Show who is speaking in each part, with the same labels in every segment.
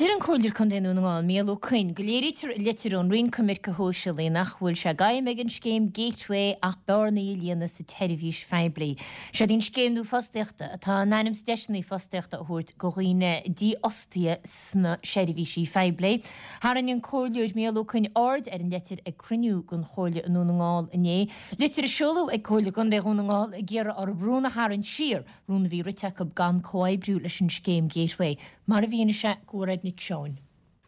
Speaker 1: Deir an Comhairleoir Contae Dhún na nGall, Micheál Ó Coinn, go léirítear i litir ón Roinn Coimirce Shóisialaí nach bhfuil sé d'aidhm ag an scéim Gateway ach bearnaí a líonadh sa tseirbhís phoiblí. Seod í an scéim nua fostaíochta atá in ainm is deiseanna fostaíochta a thabhairt go dhaoine dífhostaithe sna seirbhísí phoiblí. Tharraing an Comhairleoir Micheál Ó Coinn aird ar an leitir ag cruinniú den Chomhairle i nDún na nGall inné. Litir a seoladh ag Comhairle Contae Dhún na nGall ag iarraidh orthu rún a tharraingt siar, rún a bhí rite acu gan comhoibriú leis an scéim Gateway, mar a mhínigh sé do Mhairéad Nic Seoin.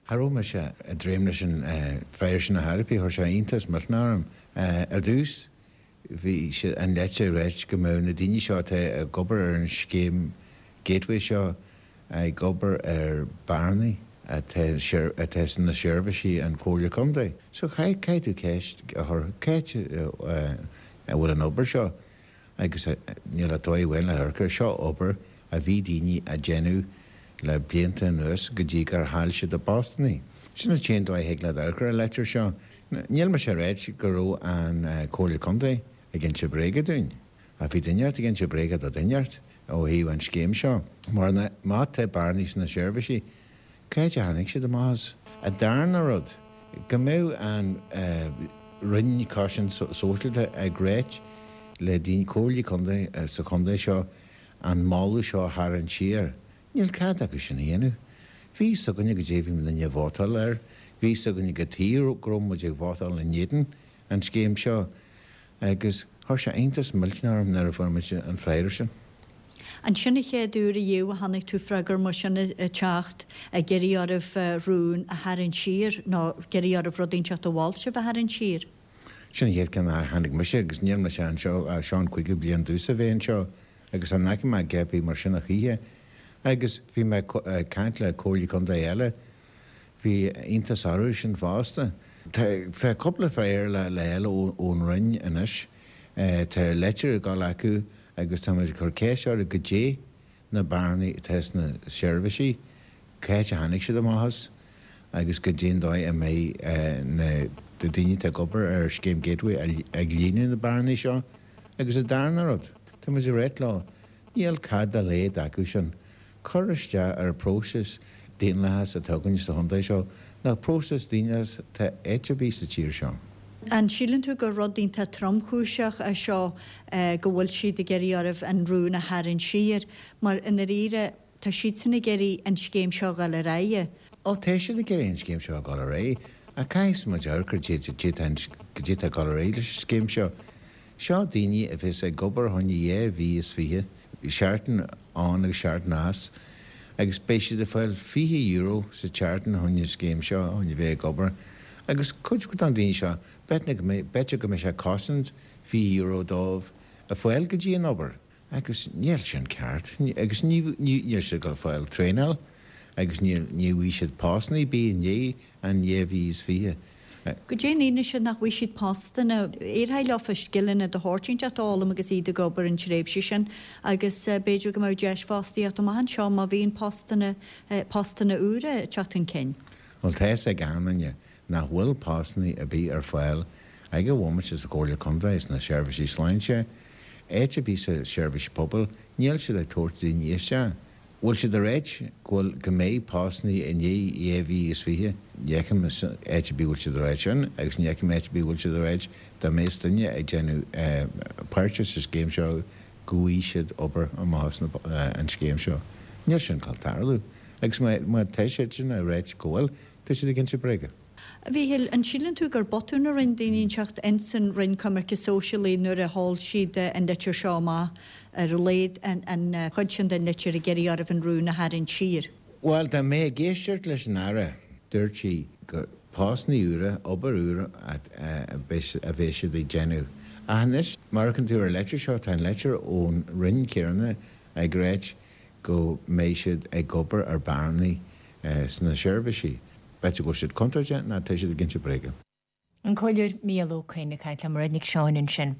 Speaker 2: Cha raibh mise ag dréim leis an freagra sin ar chor ar bith, chuir sé iontas millteanach orm. Ar dtús bhí sé an leitir ag ráit go mbeadh na daoine seo atá ag obair ar an scéim Gateway seo ag obair ar bearnaí atá atá sna seirbhísí an Chomhairle Contae. So caithfidh tú ceist a chur, cá háit a bhfuil an obair seo? Agus níl ach dóigh amháin le hamharc air, seo obair a bhí daoine a déanamh le blianta anuas go dtí gur chaill siad a bpostannaí. Sin an t-aon dóigh a thig leat amharc ar an leitir seo. Níl mise ag ráit go raibh an Comhairle Contae ag inse bréaga dúinn, ach bhí duine inteacht ag inse bréaga do dhuine inteacht ó thaobh an scéim seo. Mar má tá bearnaí sna seirbhísí, Cá háit a tháinig siad amach as? An darna rud, go mbeadh an Roinn Cosaint Sóisialta ag ráit le daoine, comhairlí contae sa chontae seo an moladh seo a tharraingt siar. Níl cead acu sin a dhéanamh. Bhí fhios againne goidé a bhí muidinne ag vótáil air, bhí fhios againne cad chuige go raibh muid ag vótáil in éadan an scéim seo agus chuir sé iontas millteanach orm nuair a fuair muid an freagra sin.
Speaker 3: An sin an chéad uair ariamh a chonaic tú freagra mar sin ag teacht, ag iarraidh oraibh rún a tharraingt siar, nó ag iarraidh oraibh rud inteacht a mhol sibh a tharraingt siar?
Speaker 2: Sin an chéad ceann a chonaic mise agus níl mise anseo ach seo an cúigiú bliain domhsa a bheith anseo agus chan fhaca mé a dhath ar bith mar sin a choíche. Agus bhí mé ag caint le comhairlí contae eile, bhí iontas orthu sin fosta. Tá cúpla freagra le fháil ón Roinn anois. Tá leitir ag dul acu agus táimid ag cur ceist orthu goidé na bearnaí atá sna seirbhísí, cá háit a tháinig siad amach as agus goidé an dóigh a mbeidh na daoine atá ag obair ar scéim Gateway ag líonadh na bearnaí seo. Agus an darna rud, táimid ag ráit leo, níl cead dá laghad acu sin cur isteach ar an bpróiseas daonlathas atá againn sa chontae seo, nach próiseas daonlathas atá áit ar bith sa tír seo.
Speaker 3: An síleann tú gur rud iontach tromchúiseach é seo go bhfuil siad ag iarraidh oraibh an rún a tharraingt siar? Mar i ndáiríre tá siadsan ag iarraidh an scéim seo a dhul ar aghaidh.
Speaker 2: Ó tá siad ag iarraidh an scéim seo a dhul ar aghaidh ach caithfidh muid amharc ar goidé atá ag dul ar aghaidh leis an scéim seo. Seo daoine a bheas ag obair fá choinne dhá mhí is fiche, seachtain ann agus seachtain as, agus beidh siad ag fáil €20 sa tseachtain fá choinne an scéim seo, fá choinne bheith ag obair. Agus cuid de na daoine seo, b'fhéidir go mbeidh sé ag cosaint €20 dóibh a fáil go dtí an obair. Agus níl sin ceart. Agus ní, níl siad ag dul ag fáil traenáil agus ní, ní bhfaighidh siad postanna ar bith i ndiaidh an 2020.
Speaker 3: Goidé an fhianaise nach bhfaighidh siad postanna. Éireoidh leofa scileanna de shórt inteacht a fhoghlaim agus iad ag obair an tréimhse sin agus b'fhéidir go mbeadh deis fostaíocht amach anseo má bhíonn postanna, postanna úra ag teacht chun cinn.
Speaker 2: Bhuel tá fhios ag achan duine nach bhfuil postanna ar bith ar fáil ag an bhomaite sa Chomhairle Contae, sna seirbhísí sláinte, áit ar bith sa seirbhís pobail, níl siad ag tabhairt daoine isteach. Bhfuil siad ag ráit go bhfuil, go mbeidh postanna i ndiaidh 2020? Ní fheicim áit ar bith bhfuil siad ag ráit sin agus ní fheicim áit ar bith bhfuil siad ag ráit dá mbeadh duine ag déanamh páirte sa scéim seo go bhfaighidh siad obair amach as an scéim seo. Níl sin ag dul tarlú. Agus má tá siad sin ag ráit go bhfuil, Tá siad ag inse bréige.
Speaker 3: A Mhíchíl, an síleann tú gur botún a rinne daoine inteacht ins an Roinn Coimirce Sóisialaí nuair a sheol siad an litir seo amach, ar a laghad an chuid sin den litir ag iarraidh oraibh an rún a tharraingt siar?
Speaker 2: Bhuel, dá mbeifeá ag éisteacht leis an Aire, dúirt sí gur postanna úra, obair úr a bheas siad ag déanamh. Ach anois, má amharcann tú ar an leitir seo, tá an leitir ón Roinn céanna ag ráit go mbeidh siad ag obair ar bearnaí sna seirbhísí. B'fhéidir go bhfuil siad contúirteach nó tá siad ag inse bréige.
Speaker 1: An Comhairleoir Mícheál Ó Coinn ag caint le Mairéad Nic Seáin ansin.